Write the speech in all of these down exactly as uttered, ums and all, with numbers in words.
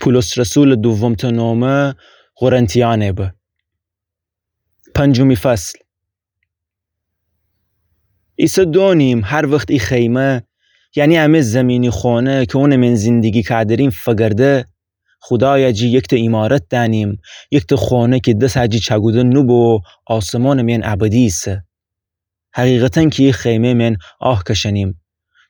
پولس رسولٚ دومتأ نامه قرنتیأنه به. پنجمی فصل. ایسه دونیم هر وخت ای خیمه، یعنی امه زیمینی خونه کی اونٚ مئن زندگی کادریم فگرده، خودایٚ جی یکتأ ایمارت دأنیم، یکتأ خونه کی دسٚ جی چأکوده نوبه و آسمانٚ مئن ابدی ایسه. حقیقتاً کی ای خیمه مئن آه کشأنیم،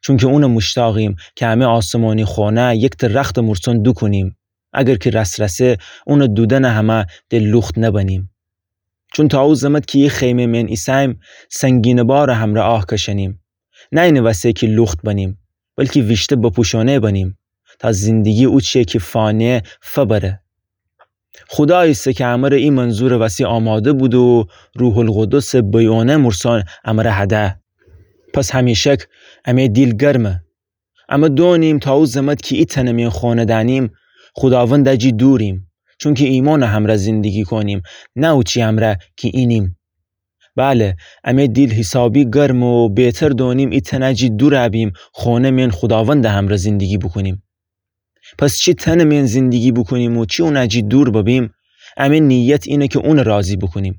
چونکی اونٚ موشتاقیم کی امه آسمانی خونه یکتأ رختٚ مورسون دوکونیم، اگر کی رسرسه اونٚ دودنٚ همه د لوخت نبنیم. چون تا او زمت کی ای خیمه مئن ایسه‌ییم، سنگینٚ بارٚ همرأ آه کشأنیم، نه اینٚ وسه کی لوخت بنیم، بلکی ویشته بپوشانه بنیم، تا زندگی اوچیه کی فانیه فبره. خودایی ایسه کی امرأ ای منظورٚ وسی آماده بوده و روح‌القدسٚ بیونه مورسون امرأ هده. پس همیشک امه دیل گرمه. امه دونیم تا او زمت کی ای تنٚ مئن خونه دأنیم، خوداوندٚ جی دوریم، چونکی ایمانٚ همرأ زندگی کونیم، نه اوچی امرأ کی اینیم. بله، امه دیل حیسابی گرمه و بهتر دونیم ای تنٚ جی دورَ بیم، خونه مئن خوداوندٚ همرأ زندگی بوکونیم. پس چی تنٚ مئن زندگی بوکونیم و چی اونٚ جی دور ببیم، امه نیت اینه کی اونٚ راضی بوکونیم.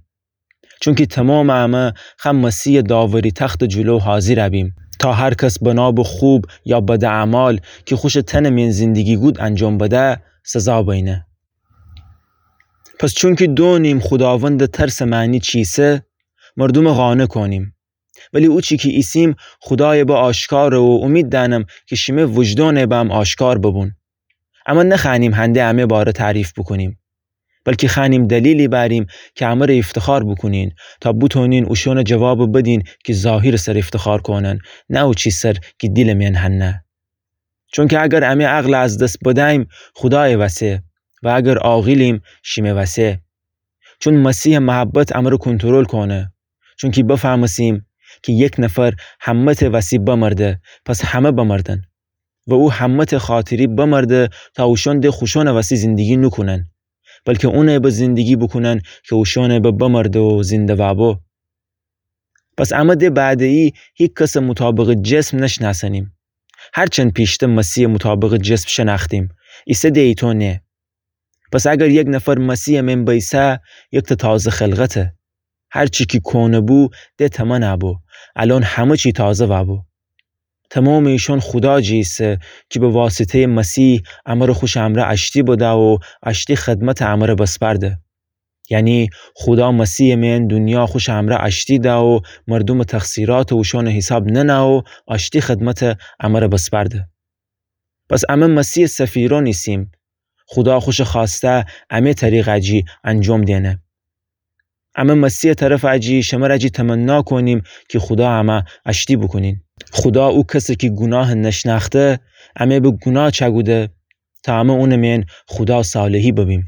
چونکی تومامٚ امه خأ مسیحٚ داوری تختٚ جلو حاضر بیم، تا هر کس بنا به خوب یا بدٚ اعمال کی خوشٚ تنٚ مئن زندگی گود انجام بده، سزا بینه. پس چونکی دونیم خوداوندٚ ترسٚ معنی چیسه، مردومٚ قانع کونیم. ولی اوچی کی ایسیم، خودایٚ به آشکاره و اومید دأنم کی شیمه وجدانٚ به هم آشکار ببون. امه نخوأنیم هنده امه باره تعریف بوکونیم، بلکی خوأنیم دلیلی بأریم کی امرأ افتخار بوکونین، تا بوتونین اوشونٚ جوابٚ بدین کی ظاهرٚ سر افتخار کونن، نه اوچی سر کی دیلٚ مئن هنه. چونکی اگر امه عقلٚ از دس بده‌ییم، خودایٚ وسه، و اگر عاقلیم، شیمه وسه. چون مسیحٚ محبت امرأ کنترل کونه. چونکی بفهمستیم کی یک نفر همه‌تأ وسی بمرده، پس همه بمردن. و او همه‌تأ خاطری بمرده تا اوشون د خوشونٚ وسی زندگی نوکونن، بلکی اونٚ به زندگی بوکونن کی اوشونٚ به بمرده و زنده وأبو. پس امه د بعده‌یی هیکسٚ مطابقٚ جسم نشنأسنیم. هرچند پیشته مسیحٚ مطابقٚ جسم شنأختیم، ایسه د ایتو نه. پس اگر یک نفر مسیحٚ مئن بئیسه، یکتأ تازه خلقته. هر چی کی کونه بو، د تمنه بو. الأن همه چی تازه وأبو. تومامٚ ایشون خودا جی ایسه کی به واسطه‌یٚ مسیح امرأ خوشٚ امرأ آشتی بده و آشتی خدمتٚ امرأ بسپرده. یعنی خودا مسیحٚ مئن دونیا خوشٚ امرأ آشتی ده و مردومٚ تقصیراتٚ اوشونٚ حیساب ننه و آشتی خدمتٚ امرأ بسپرده. پس امه مسیحٚ سفیرون ایسیم. خودا خوشٚ خوأسته امه طریقٚ جی انجام دینه. امه مسیحٚ طرفٚ جی شمرٚ جی تمنا کونیم کی خودا امه آشتی بوکونین. خودا او کسٚ کی گوناهٚ نشنأخته، امه به گوناه چأکوده تا امه اونٚ مئن خودا صالحی ببیم.